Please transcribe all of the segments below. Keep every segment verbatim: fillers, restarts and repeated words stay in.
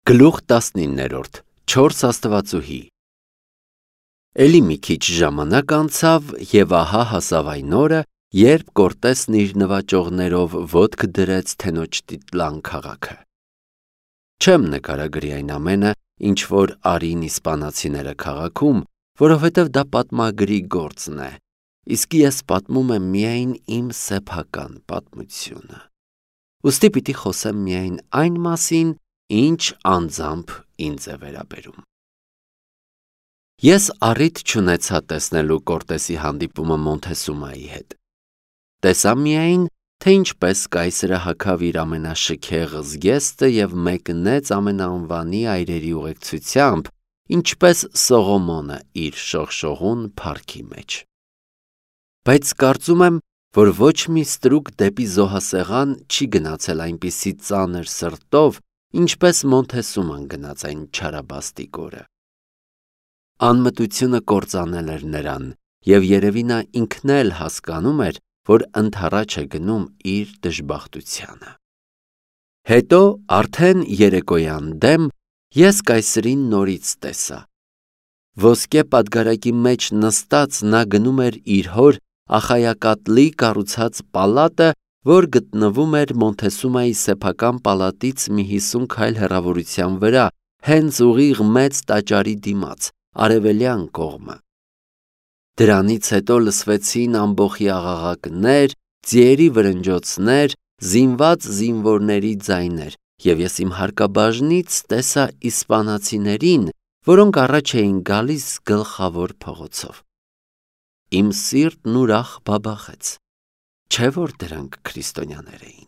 Գլուխ տասնիններորդ չորս աստվածուհի Էլի մի քիչ ժամանակ անցավ և ահա հասավ այն օրը, երբ Կորտեսն իր նվաճողներով ոտք դրեց Թենոչտիտլան քաղաքը։ Չեմ նկարագրի այն ամենը, ինչ որ արին իսպանացիները քաղաքում, որովհետև դա պատմագրի գործն է, իսկ ես պատմում եմ միայն իմ սեփական պատմությունը։ Ուստի պիտի խոսեմ միայն այն մասին, ինչ անձամբ ինձ է վերաբերում։ Ես առիթ չունեցա տեսնելու Կորտեսի հանդիպումը Մոնթեսումայի հետ։ Տեսա միայն, թե ինչպես կայսրը հագավ իր ամենաշքեղ զգեստը և մեկնեց ամենաանվանի այրերի ուղեկցությամբ, ինչպես Սողոմոնը իր շողշողուն փառքի մեջ։ Բայց կարծում եմ, որ ոչ մի ստրուկ դեպի զոհասեղան չի գնացել այնպիսի ծանր սրտով, ինչպես Մոնթեսուման գնաց այն չարաբաստիկ օրը։ Անմտությունը կործանել էր նրան, և երևի նա ինքն էլ հասկանում էր, որ ընդառաջ է գնում իր դժբախտությանը։ Հետո արդեն երեկոյան դեմ ես կայսրին նորից տեսա։ Ոսկե պատգարակի մեջ նստած նա գնում էր իր հոր Ախայակատլի կառուցած պալատը, որ գտնվում էր Մոնթեսումայի սեփական պալատից մի հիսուն քայլ հեռավորության վրա, հենց ուղիղ մեծ տաճարի դիմաց, արևելյան կողմը։ Դրանից հետո լսվեցին ամբոխի աղաղակներ, ձիերի վրնջոցներ, զինված զինվորների ձայներ, և ես իմ հարկաբաժնից տեսա իսպանացիներին, որոնք առաջ էին գալիս գլխավոր փողոցով։ Իմ սիրտն ուրախ բաբախեց, չէ՞ որ դրանք քրիստոնյաներ էին։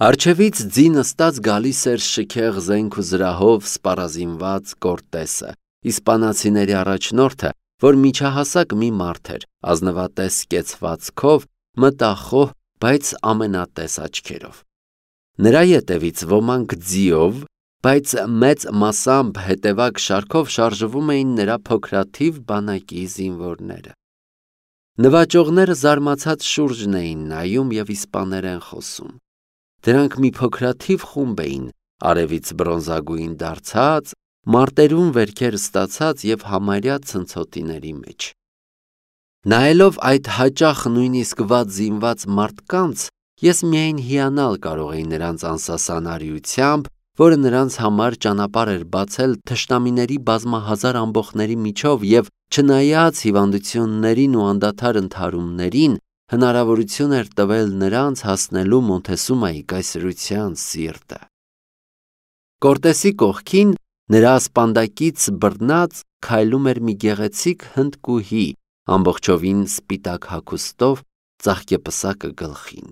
Առջևից ձի նստած գալիս էր շքեղ զենք ու զրահով սպառազինված Կորտեսը, իսպանացիների առաջնորդը, որ միջահասակ մի մարդ էր, ազնվատես կեցվածքով, մտախոհ, բայց ամենատես աչքերով։ Նրա ետևից ոմանք ձիով, բայց մեծ մասամբ հետևակ շարքով շարժվում էին նրա փոքրաթիվ բանակի զինվորները։ Նվաճողները զարմացած շուրջն էին նայում և իսպաներեն խոսում։ Դրանք մի փոքրաթիվ խումբ էին, արևից բրոնզագույն դարձած, մարտերում վերքեր ստացած և համարյա ցնցոտիների մեջ։ Նայելով այդ հաճախ նույնիսկ վատ զինված մարդկանց, ես միայն հիանալ կարող էի նրանց անսասան արիությամբ, որը նրանց համար ճանապարհ էր բացել թշնամիների բազմահազար ամբոխների միջով և, չնայած հիվանդություններին ու անդադար ընդհարումներին, հնարավորություն էր տվել նրանց հասնելու Մոնթեսումայի կայսրության սիրտը։ Կորտեսի կողքին, նրա ասպանդակից բռնած, քայլում էր մի գեղեցիկ հնդկուհի, ամբողջովին սպիտակ հագուստով, ծաղկեպսակը գլխին։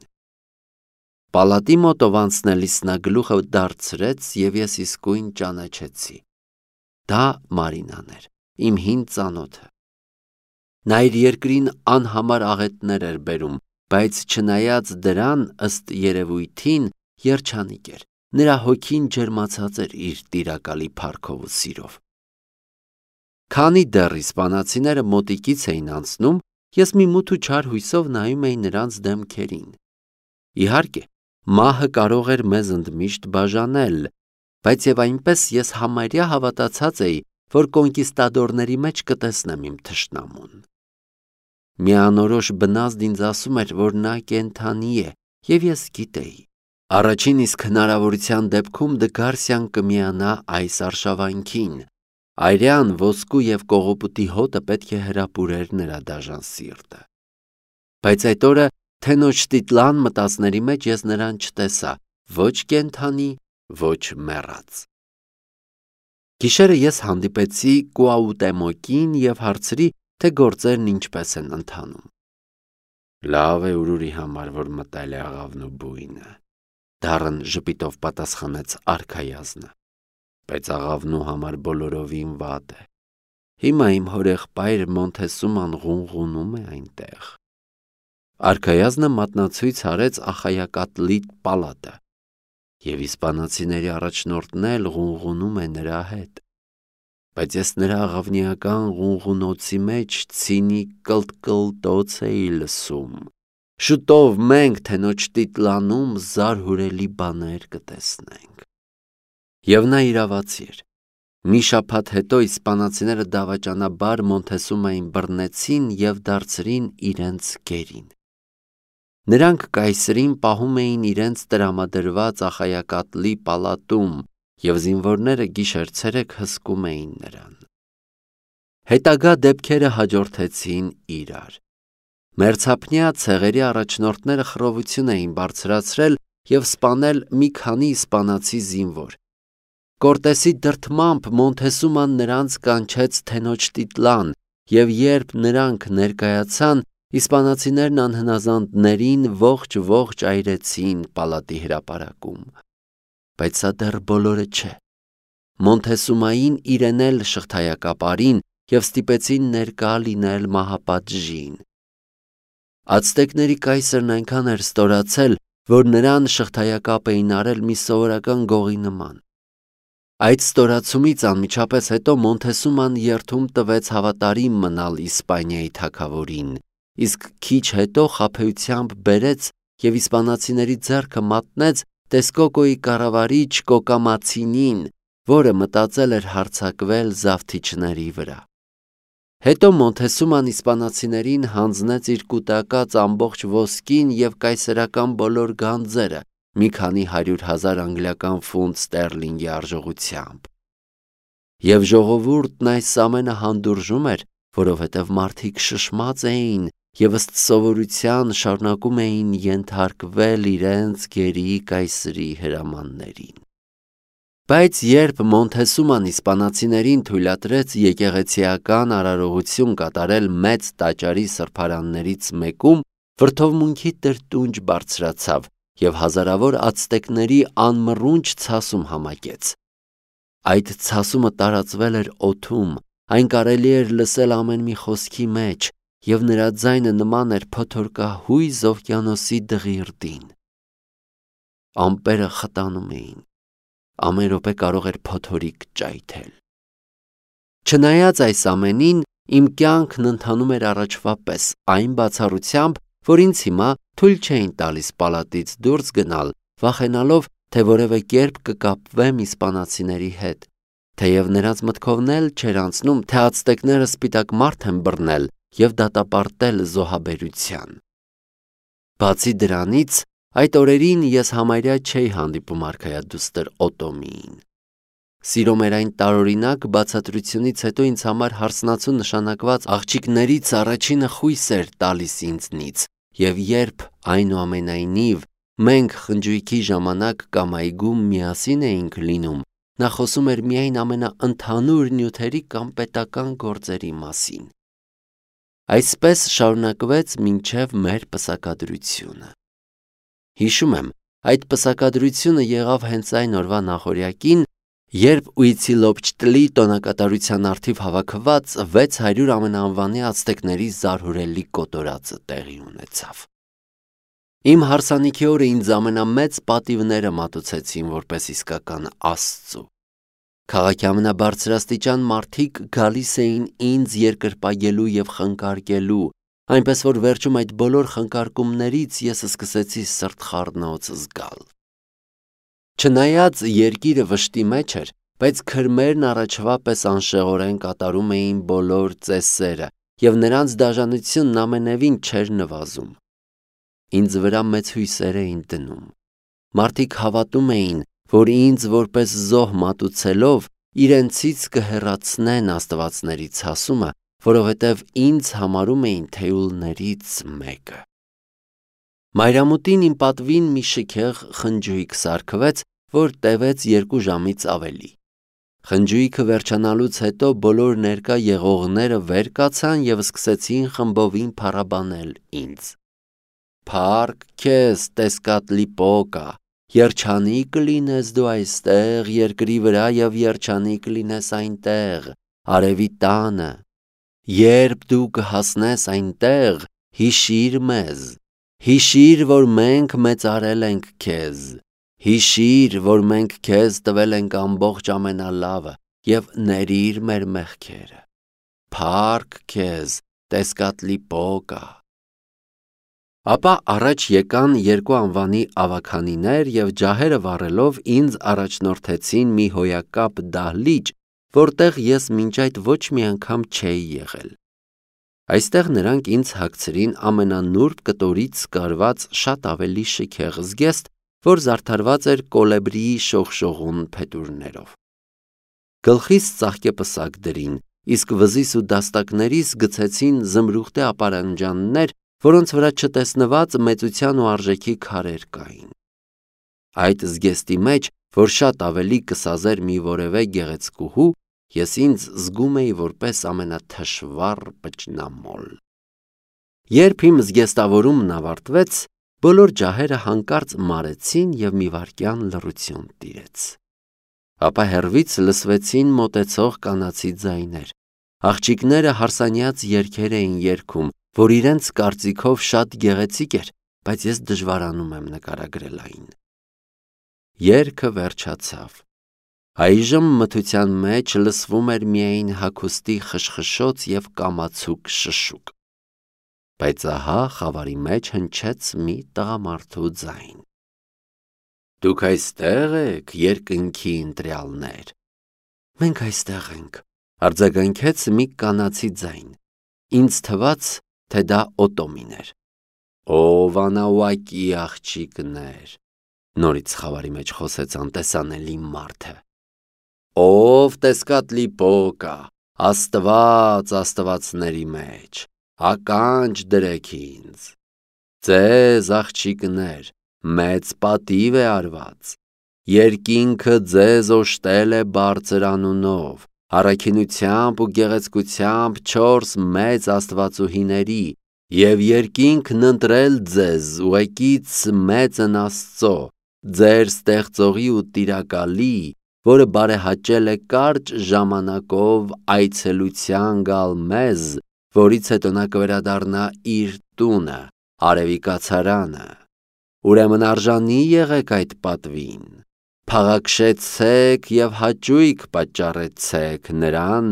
Պալատի մոտով անցնելիս նա գլուխը դարձրեց, և ես իսկույն ճանաչեցի։ Դա Մարինան էր, իմ հին ծանոթը։ Նա իր երկրին անհամար աղետներ էր բերում, բայց չնայած դրան, ըստ երևույթին, երջանիկ էր, նրա հոգին ջերմացած էր իր տիրակալի փառքով ու սիրով։ Քանի դեռ իսպանացիները մոտիկից էին անցնում, ես մի մութ ու չար հույսով նայում էի նրանց դեմքերին։ Իհարկե, մահը կարող էր մեզ ընդմիշտ բաժանել, բայց և այնպես ես համարյա հավատացած էի, որ կոնկիստադորների մեջ կտեսնեմ իմ թշնամուն։ Մի անորոշ բնազդ ինձ ասում էր, որ նա կենդանի է, և ես գիտեի։ Առաջին իսկ հնարավորության դեպքում Դգարսիան կմիանա այս արշավանքին։ Այրյան, ոսկու և կողոպուտի հոտը պետք է հրապուրեր նրա դաժան սիրտը։ Բայց այդ օրը Թենոչտիտլան մտածների մեջ ես նրան չտեսա, ոչ կենդանի, ոչ մեռած։ Գիշերը ես հանդիպեցի Կուաուտեմոկին և հարցրի, թե գործերն ինչպես են ընթանում։ Լավ է Ուրուրի համար, որ մտել է աղավնու բույնը, դառն ժպիտով պատասխանեց արքայազնը, բայց աղավնու համար բոլորովին վատ է։ Հիմա իմ հորեղբայր Մոնթեսուման ղունղունում է այնտեղ։ Արքայազնը մատնացույց արեց Ախայակատլի պալատը, և իսպանացիների առաջնորդն էլ ղունղունում է նրա հետ։ Բայց ես նրա աղավնիական ղունղունոցի մեջ ցինիկ կլտկլտոց էի լսում։ Շուտով մենք Թենոչտիտլանում զարհուրելի բաներ կտեսնենք։ Եվ նա իրավացի էր։ Մի շաբաթ հետո իսպանացիները դավաճանաբար Մոնթեսումային բռնեցին և դարձրին իրենց գերին։ Նրանք կայսրին պահում էին իրենց տրամադրված ախայակատլի պալատում, և զինվորները գիշեր-ցերեկ հսկում էին նրան։ Հետագա դեպքերը հաջորդեցին իրար։ Մերձափնյա ցեղերի առաջնորդները խռովություն էին բարձրացրել և սպանել մի քանի իսպանացի զինվոր։ Կորտեսի դրդմամբ Մոնթեսուման նրանց կանչեց թենոջ տիտլան, և երբ նրանք ներկայացան, իսպանացիներն անհնազանդներին ողջ-ողջ այրեցին պալատի հրապարակում։ Բայց սա դեռ բոլորը չէ։ Մոնթեսումային իրեն էլ շղթայակապարին և ստիպեցին ներկա լինել մահապատժին։ Ացտեկների կայսրն այնքան էր ստորացել, որ նրան շղթայակապ էին արել մի սովորական գողի նման։ Այդ ստորացումից անմիջապես հետո Մոնթեսուման երդում տվեց հավատարիմ մնալ Իսպանիայի թագավորին, իսկ քիչ հետո խաբեությամբ բերեց և իսպանացիների ձեռքը մատնեց Տեսկոկոյի կառավարիչ Կոկամացինին, որը մտածել էր հարձակվել զավթիչների վրա։ Հետո Մոնթեսուման իսպանացիներին հանձնեց իր կուտակած ամբողջ ոսկին և կայսերական բոլոր գանձերը, մի քանի հարյուր հազար անգլիական ֆունտ ստերլինգի արժողությամբ։ Եվ ժողովուրդն այս ամենը հանդուրժում էր, որովհետև մարդիկ շշմած էին և ըստ սովորության շարունակում էին ենթարկվել իրենց գերի կայսրի հրամաններին։ Բայց երբ Մոնթեսուման իսպանացիներին թույլատրեց եկեղեցիական արարողություն կատարել մեծ տաճարի սրբարաններից մեկում, վրդովմունքի տրտունջ բարձրացավ և հազարավոր ացտեկների անմռունչ ցասում համակեց։ Այդ ցասումը տարածվել էր օդում, այն կարելի էր լսել ամեն մի խոսքի մեջ, և նրա ձայնը նման էր փոթորկահույզ օվկիանոսի դղիրդին։ Ամպերը խտանում էին, ամեն րոպե կարող էր փոթորիկ ճայթել։ Չնայած այս ամենին, իմ կյանքն ընթանում էր առաջվա պես, այն բացառությամբ, որ ինձ հիմա թույլ չէին տալիս պալատից դուրս գնալ, վախենալով, թե որևէ կերպ կկապվեմ իսպանացիների հետ, թեև նրանց մտքովն էլ չէր անցնում, թե ացտեկները սպիտակ մարդ են բռնել և դատապարտել զոհաբերության։ Բացի դրանից, այդ օրերին ես համարյա չէի հանդիպում արքայադուստր Օտոմիին։ Սիրո մեր այն տարօրինակ բացատրությունից հետո ինձ համար հարսնացու նշանակված աղջիկներից առաջինը խույս էր տալիս ինձնից, և երբ, այնուամենայնիվ, մենք խնջույքի ժամանակ կամ այգում միասին էինք լինում, նա խոսում էր միայն ամենաընդհանուր նյութերի կամ պետական գործերի մասին։ Այսպես շարունակվեց մինչև մեր պսակադրությունը։ Հիշում եմ, այդ պսակադրությունը եղավ հենց այն օրվա նախօրյակին, երբ Ուիցիլոպչտլի տոնակատարության առթիվ հավաքված վեց հարյուր ամենաանվանի ացտեկների զարհուրելի կոտորածը տեղի ունեցավ։ Իմ հարսանիքի օրը ինձ ամենամեծ պատիվները մատուցեցին որպես իսկական աստծու։ Քաղաքի ամենաբարձրաստիճան մարդիկ գալիս էին ինձ երկրպագելու և խնկարկելու, այնպես որ վերջում այդ բոլոր խնկարկումներից ես սկսեցի սրտխառնոց զգալ։ Չնայած երկիրը վշտի մեջ էր, բայց քրմերն առաջվա պես անշեղորեն կատարում էին բոլոր ծեսերը, և նրանց դաժանությունն ամենևին չէր նվազում։ Ինձ վրա մեծ հույսեր էին դնում։ Մարդիկ հավատում էին, որ ինձ որպես զոհ մատուցելով իրենցից կհեռացնեն աստվածների ցասումը, որովհետև ինձ համարում էին թեյուլներից մեկը։ Մայրամուտին իմ պատվին մի շքեղ խնջույք սարքվեց, որ տևեց երկու ժամից ավելի։ Խնջույքը վերջանալուց հետո բոլոր ներկա եղողները վեր կացան և սկսեցին խմբովին փառաբանել ինձ։ «Փառք քեզ, Տեսկատլիպոկա, երջանիկ կլինես դու այստեղ երկրի վրա և երջանիկ կլինես այնտեղ, արևի տանը։ Երբ դու կհասնես այնտեղ, հիշիր մեզ, հիշիր, որ մենք մեծարել ենք քեզ, հիշիր, որ մենք քեզ տվել ենք ամբողջ ամենալավը և ներիր մեր մեղքերը։ Փառք քեզ, Տեսկատլիպոկա»։ Ապա առաջ եկան երկու անվանի ավագանիներ և ջահերը վառելով ինձ առաջնորդեցին մի հոյակապ դահլիճ, որտեղ ես մինչ այդ ոչ մի անգամ չէի եղել։ Այստեղ նրանք ինձ հագցրին ամենանուրբ կտորից կարված շատ ավելի շքեղ զգեստ, որ զարդարված էր կոլեբրիի շողշողուն փետուրներով։ Գլխիս ծաղկեպսակ դրին, իսկ վզիս ու դաստակներիս գցեցին զմրուխտե ապարանջաններ, որոնց վրա չտեսնված մեծության ու արժեքի քարեր կային։ Այդ զգեստի մեջ, որ շատ ավելի կսազեր մի որևէ գեղեցկուհու, ես ինձ զգում էի որպես ամենաթշվառ պճնամոլ։ Երբ իմ զգեստավորումն ավարտվեց, բոլոր ջահերը հանկարծ մարեցին և մի վայրկյան լռություն տիրեց։ Ապա հեռվից լսվեցին մոտեցող կանացի ձայներ։ Աղջիկները հարսանյաց երգեր էին երգում, որ իրենց կարծիքով շատ գեղեցիկ էր, բայց ես դժվարանում եմ նկարագրել այն։ Երգը վերջացավ։ Այժմ մթության մեջ լսվում էր միայն հագուստի խշխշոց և կամացուկ շշուկ։ Բայց ահա խավարի մեջ հնչեց մի տղամարդու ձայն։ Դուք այստեղ եք, երկնքի ընտրյալներ։ Մենք այստեղ ենք, արձագանքեց մի կանացի ձայն։ Ինձ թվաց, թե դա Օտոմին էր։ Ով անավակի աղջիկներ, նորից խավարի մեջ խոսեց անտեսանելի մարդը։ Ով Տեսկատլի Պոկա, Աստված աստվածների մեջ, ականջ դրեք ինձ։ Ձեզ աղջիկներ, մեծ պատիվ է արված։ Երկինքը ձեզ օժտել է բարձր անունով, առաքինությամբ ու գեղեցկությամբ չորս մեծ աստվածուհիների, և երկինքն ընտրել ձեզ ուղեկից մեծն Աստծո, ձեր ստեղծողի ու տիրակալի, որը բարեհաճել է կարճ ժամանակով այցելության գալ մեզ, որից հետո նա կվերադառնա իր տունը, արևի կացարանը։ Ուրեմն արժանի եղեք այդ պատվին, փաղաքշեցեք և հաճույք պատճառեցեք նրան,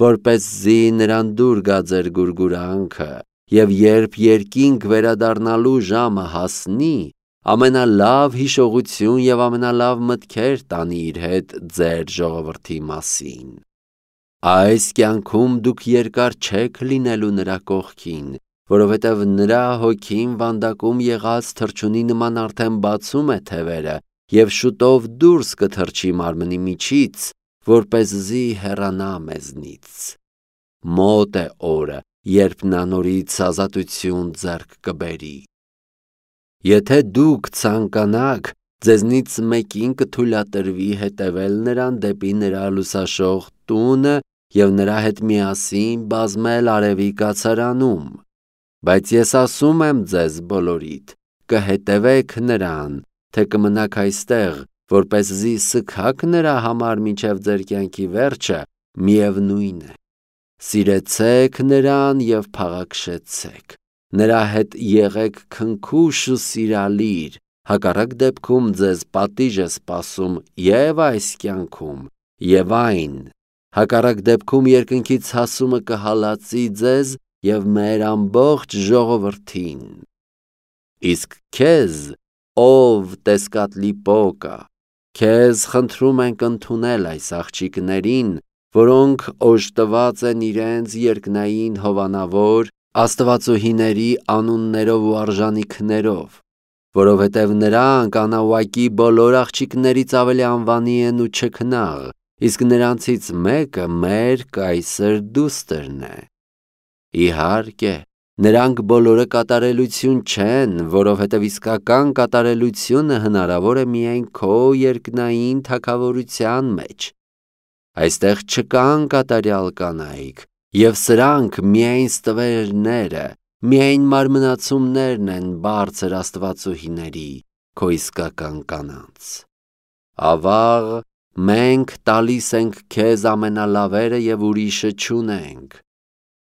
որպեսզի նրան դուր գա ձեր գուրգուրանքը, և երբ երկինք վերադառնալու ժամը հասնի, ամենալավ հիշողություն և ամենալավ մտքեր տանի իր հետ ձեր ժողովրդի մասին։ Այս կյանքում դուք երկար չեք լինելու նրա կողքին, որովհետև նրա հոգին վանդակում եղած թռչունի նման արդեն բացում է թևերը և շուտով դուրս կթռչի մարմնի միջից, որպեսզի հեռանա մեզնից։ Մոտ է օրը, երբ նա նորից ազատություն ձեռք կբերի։ Եթե դուք ցանկանաք, ձեզնից մեկին կթույլատրվի հետևել նրան դեպի նրա լուսաշող տունը և նրա հետ միասին բազմել արևի կացարանում։ Բայց ես ասում եմ ձեզ բոլորիդ, կհետևեք նրան, թե կմնաք այստեղ, որպեսզի սգաք նրա համար մինչև ձեր կյանքի վերջը, միևնույն է։ Սիրեցեք նրան և փաղաքշեցեք, նրա հետ եղեք քնքուշ ու սիրալիր, հակառակ դեպքում ձեզ պատիժ է սպասում և այս կյանքում, և այն, հակառակ դեպքում երկնքի ցասումը կհալածի ձեզ և մեր ամբողջ ժողովրդին։ Իսկ քեզ, ով Տեսկատլի Պոկա, քեզ խնդրում ենք ընդունել այս աղջիկներին, որոնք օժտված են իրենց երկնային հովանավոր աստվածուհիների անուններով ու արժանիքներով, որովհետև նրանք անավակի բոլոր աղջիկներից ավելի անվանի են ու չքնաղ, իսկ նրանցից մեկը մեր կայսր դուստրն է։ Իհարկե, նրանք բոլորը կատարելություն չեն, որովհետև իսկական կատարելությունը հնարավոր է միայն քո երկնային թագավորության մեջ։ Այստեղ չկան կատարյալ կանայք, և սրանք միայն ստվերները, միայն մարմնացումներն են բարձր աստվածուհիների, քո իսկական կանանց։ Ավաղ, մենք տալիս ենք քեզ ամենալավերը և ուրիշը չունենք։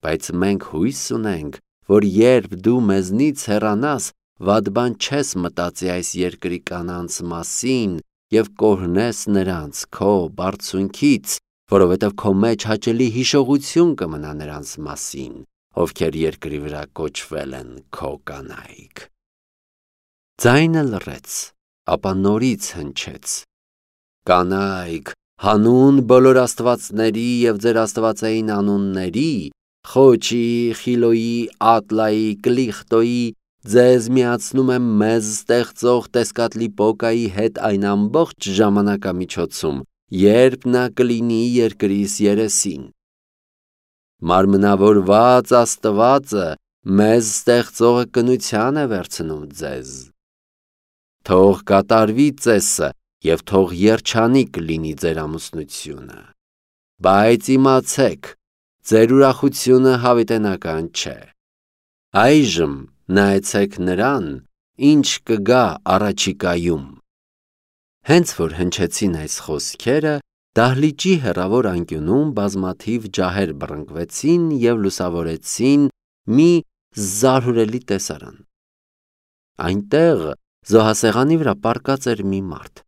Բայց մենք հույս ունենք, որ երբ դու մեզնից հեռանաս, վատ բան չես մտածի այս երկրի կանանց մասին և կօրհնես նրանց քո բարձունքից, որովհետև քո մեջ հաճելի հիշողություն կմնա նրանց մասին, ովքեր երկրի վրա կոչվել են քո կանայք։ Ձայնը լռեց, ապա նորից հնչեց. Կանայք, հանուն բոլոր աստվածների և ձեր աստվածային անունների, Խոչի, Խիլոյի, Ատլայի, Կլիխտոյի, ձեզ միացնում եմ մեզ ստեղծող Տեսկատլիպոկայի հետ այն ամբողջ ժամանակամիջոցում, երբ նա կլինի երկրիս երեսին։ Մարմնավորված Աստվածը մեզ ստեղծողը կնության է վերցնում ձեզ։ Թող կատարվի ծեսը և թող երջանիկ լինի ձեր ամուսնությունը։ Բայց իմացեք, ձեր ուրախությունը հավիտենական չէ։ Այժմ նայեցեք նրան, ինչ կգա առաջիկայում։ Հենց որ հնչեցին այս խոսքերը, դահլիճի հեռավոր անկյունում բազմաթիվ ջահեր բռնկվեցին և լուսավորեցին մի զարհուրելի տեսարան։ Այնտեղ զոհասեղանի վրա պառկած էր մի մարդ։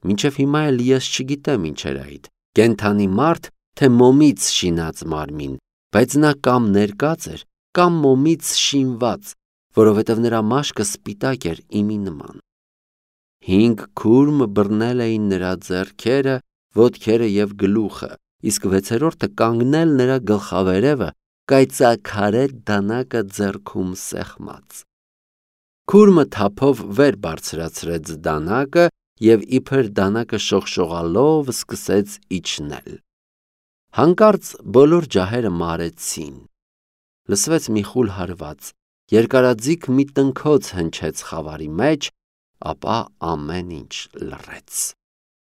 Մինչև հիմա էլ ես չգիտեմ ինչ էր այդ, կենդանի մարդ, թե մոմից շինած մարմին, բայց նա կամ ներկած էր, կամ մոմից շինված, որովհետև նրա մաշկը սպիտակ էր իմի նման։ Հինգ քուրմ բռնել էին նրա ձեռքերը, ոտքերը և գլուխը, իսկ վեցերորդը կանգնել նրա գլխավերևը, կայծաքարե դանակը ձեռքում սեղմած։ Քուրմը թափով վեր բարձրացրեց դանակը և իբր դանակը շողշողալով սկսեց իջնել։ Հանկարծ բոլոր ջահերը մարեցին։ Լսվեց մի խուլ հարված, երկարաձիգ մի տնքոց հնչեց խավարի մեջ, ապա ամեն ինչ լռեց։